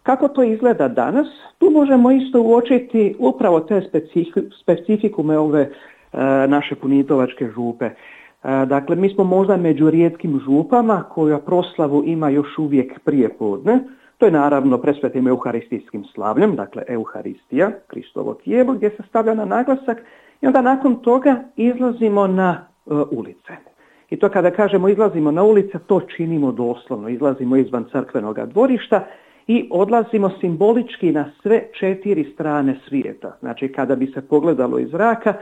Kako to izgleda danas? Tu možemo isto uočiti upravo te specifikume ove naše punitovačke župe. Dakle, mi smo možda među rijetkim župama koja proslavu ima još uvijek prije podne. To je naravno presvetim euharistijskim slavljem, dakle Euharistija, Kristovo tijelo, gdje se stavlja na naglasak i onda nakon toga izlazimo na ulice. I to kada kažemo izlazimo na ulice, to činimo doslovno, izlazimo izvan crkvenog dvorišta i odlazimo simbolički na sve 4 strane svijeta. Znači, kada bi se pogledalo iz zraka,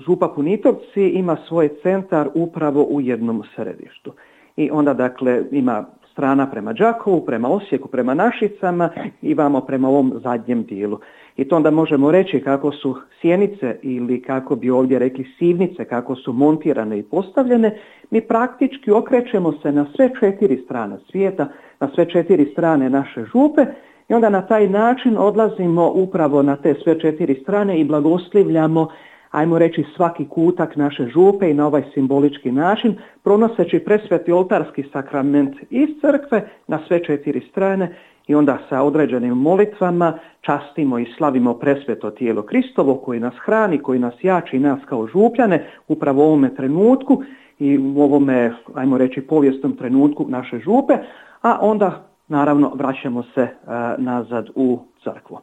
župa Punitovci ima svoj centar upravo u jednom središtu. I onda dakle ima strana prema Đakovu, prema Osijeku, prema Našicama i vamo prema ovom zadnjem dijelu. I to onda možemo reći kako su sjenice ili kako bi ovdje rekli sivnice, kako su montirane i postavljene, mi praktički okrećemo se na sve 4 strane svijeta, na sve 4 strane naše župe i onda na taj način odlazimo upravo na te sve 4 strane i blagoslivljamo, ajmo reći, svaki kutak naše župe i na ovaj simbolički način, pronoseći presveti oltarski sakrament iz crkve na sve 4 strane i onda sa određenim molitvama častimo i slavimo presveto tijelo Kristovo koji nas hrani, koji nas jači, nas kao župljane upravo u ovome trenutku i u ovome, ajmo reći, povijesnom trenutku naše župe, a onda naravno vraćamo se nazad u crkvu.